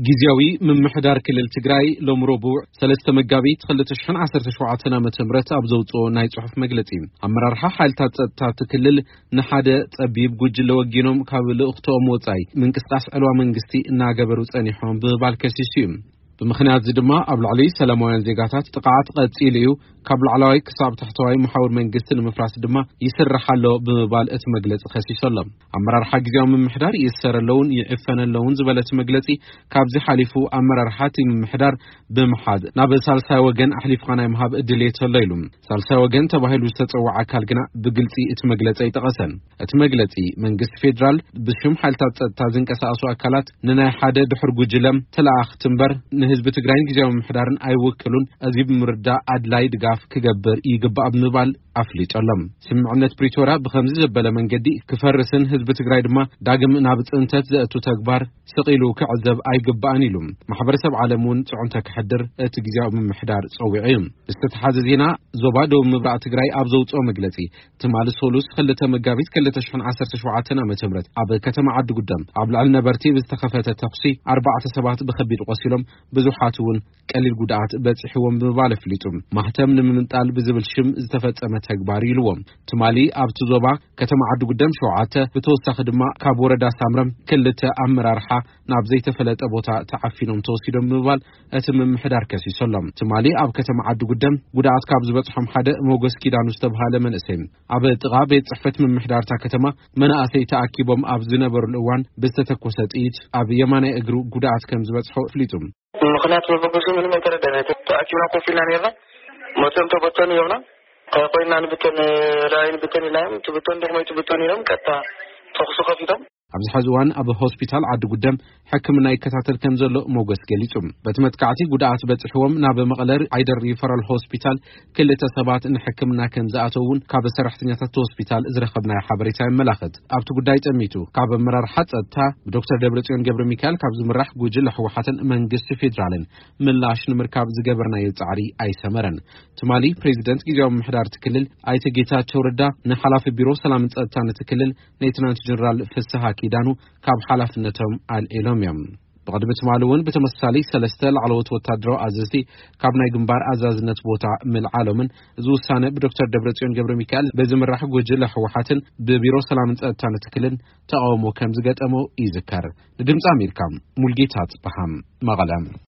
ግዜያዊ ምምሕዳር ክልል ትግራይ ሎም ረቡዕ ሰለስተ መጋቢት ክልተ ሽሕን ዓሰርተ ሸውዓተን ዓመተ ምህረት ኣብ ዘውፅኦ ናይ ጽሑፍ መግለጺ፣ ኣመራርሓ ሓይልታት ጸጥታ እቲ ክልል ንሓደ ጸቢብ ጉጅለ ወጊኖም ካብ ልእኽትኦም ወጻኢ ምንቅስቃስ ዕልዋ መንግስቲ እናገበሩ ጸኒሖም ብምባል ከሲሱ እዩ። ብምኽንያት እዚ ድማ ኣብ ልዕሊ ሰላማውያን ዜጋታት ጥቕዓት ቀጺሉ እዩ፣ ካብ ላዕለዋይ ክሳብ ታሕተዋይ መሓውር መንግስቲ ንምፍራስ ድማ ይስራሕ ኣሎ ብምባል እቲ መግለጺ ከሲሱ ኣሎ። ኣመራርሓ ግዜያዊ ምምሕዳር ይእሰር ኣለውን ይዕፈን ኣለውን ዝበለ እቲ መግለጺ፣ ካብዚ ሓሊፉ ኣመራርሓ እቲ ምምሕዳር ብምሓዝ ናብ ሳልሳይ ወገን ኣሕሊፍካ ናይ ምሃብ ድሌት ኣሎ ኢሉ። ሳልሳይ ወገን ተባሂሉ ዝተጸውዐ ኣካል ግና ብግልጺ እቲ መግለጺ ኣይጠቐሰን። እቲ መግለጺ፣ መንግስቲ ፌዴራል ብሽም ሓይልታት ጸጥታ ዝንቀሳቐሱ ኣካላት ንናይ ሓደ ድሑር ጉጅለ ተለኣኽቲ እምበር ንህዝቢ ትግራይን ግዜያዊ ምምሕዳርን ኣይውክሉን፣ እዚ ብምርዳእ ኣድላይ ድጋፍ ክገብር ይግባእ ብምባል ኣፍሊጡ ኣሎ። ስምምዕነት ፕሪቶርያ ብኸምዚ ዘበለ መንገዲ ክፈርስን ህዝቢ ትግራይ ድማ ዳግም ናብ ጽንተት ዘእቱ ተግባር ስቕ ኢሉ ክዕዘብ ኣይግባእን ኢሉ። ማሕበረሰብ ዓለም እውን ጽዕንቶ ከሕድር እቲ ግዜያዊ ምምሕዳር ጸዊዑ እዩ። ዝተተሓዘ ዜና፣ ዞባ ደቡብ ምብራቕ ትግራይ ኣብ ዘውፅኦ መግለጺ፣ ትማሊ ሶሉስ ክልተ መጋቢት ክልተ ሽሕን ዓሰርተ ሸውዓተን ዓመተ ምህረት ኣብ ከተማ ዓዲ ጉደም ኣብ ልዕሊ ነበርቲ ብዝተኸፈተ ተኹሲ ኣርባዕተ ሰባት ብኸቢድ ቆሲሎም፣ ብዙሓት እውን ቀሊል ጉድኣት በፂሕዎም ብምባል ኣፍሊጡ። ማህተም ንምምንጣል ብዝብል ሽም ዝተፈጸመ ተግባር ኢልዎም። ትማሊ ኣብቲ ዞባ ከተማ ዓዲ ጉደም ሸውዓተ፣ ብተወሳኺ ድማ ካብ ወረዳ ሳምረም ክልተ ኣመራርሓ ናብ ዘይተፈለጠ ቦታ ተዓፊኖም ተወሲዶም ብምባል እቲ ምምሕዳር ከሲሱ ኣሎ። ትማሊ ኣብ ከተማ ዓዲ ጉደም ጉድኣት ካብ ዝበጽሖም ሓደ ሞገስ ኪዳኑ ዝተብሃለ መንእሰይ፣ ኣብ ጥቓ ቤት ጽሕፈት ምምሕዳር እታ ከተማ መናእሰይ ተኣኪቦም ኣብ ዝነበሩሉ እዋን ብዝተተኮሰ ጥይት ኣብ የማናይ እግሩ ጉድኣት ከም ዝበጽሖ ኣፍሊጡ። ምኽንያት መበገሱ ምንም ኣይተረዳን። ተኣኪብና ኮፍ ኢልና ነርና። መፅኦም ተበተኑ ይብና። እንታይ ኮይና ንብተን፣ ላዕሊ ንብተን ኢልና እዮም። ትብተን ድሕሞይ ትብተን ኢሎም ቀጥታ ተኹሲ ከፊቶም። ኣብዚ ሕዚ እዋን ኣብ ሆስፒታል ዓዲ ጉደም ሕክምና ይከታተል ከም ዘሎ ሞገስ ገሊጹ። በቲ መጥቃዕቲ ጉድኣት በጺሕዎም ናብ መቐለ ዓይደር ሪፈራል ሆስፒታል ክልተ ሰባት ንሕክምና ከም ዝኣተው እውን ካብ ሰራሕተኛታት ሆስፒታል ዝረኸብናዮ ሓበሬታ የመላኽት። ኣብቲ ጉዳይ ጠሚቱ ካብ ኣመራርሓ ጸጥታ ብዶክተር ደብረጽዮን ገብረ ሚካኤል ካብ ዝምራሕ ጉጅለ ህወሓትን መንግስቲ ፌዴራልን ምላሽ ንምርካብ ዝገበርናዮ ጻዕሪ ኣይሰመረን። ትማሊ ፕሬዚደንት ግዜያዊ ምምሕዳር እቲ ክልል ኣይተ ጌታቸው ረዳ ንሓላፊ ቢሮ ሰላምን ጸጥታን እቲ ክልል ሌትናንት ጀነራል ፍስሃ ኪዳኑ ካብ ሓላፍነቶም ኣልዒሎም እዮም። ብቕድሚ ትማሊ እውን ብተመሳሳሊ ሰለስተ ላዕለዎት ወታደራዊ ኣዘዝቲ ካብ ናይ ግንባር ኣዛዝነት ቦታ ምልዓሎምን፣ እዚ ውሳነ ብዶክተር ደብረጽዮን ገብረ ሚካኤል ብዝምራሕ ጉጅለ ህወሓትን ብቢሮ ሰላምን ጸጥታን እቲ ክልል ተቓውሞ ከም ዝገጠሞ ይዝከር። ንድምፂ ኣሜሪካ፣ ሙልጌታ ጽበሃም፣ መቐለ።